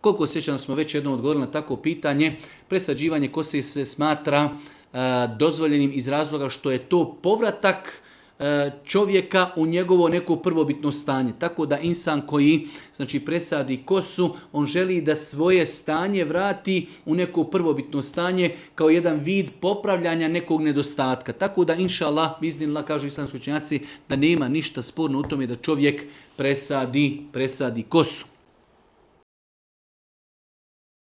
Koliko sjećam smo već jednom odgovorili na takvo pitanje, presađivanje kose se smatra dozvoljenim iz razloga što je to povratak čovjeka u njegovo neko prvobitno stanje. Tako da insan koji presadi kosu, on želi da svoje stanje vrati u neko prvobitno stanje kao jedan vid popravljanja nekog nedostatka. Tako da inša Allah, biznillah, kažu islamski učenjaci, da nema ništa sporno u tome da čovjek presadi kosu.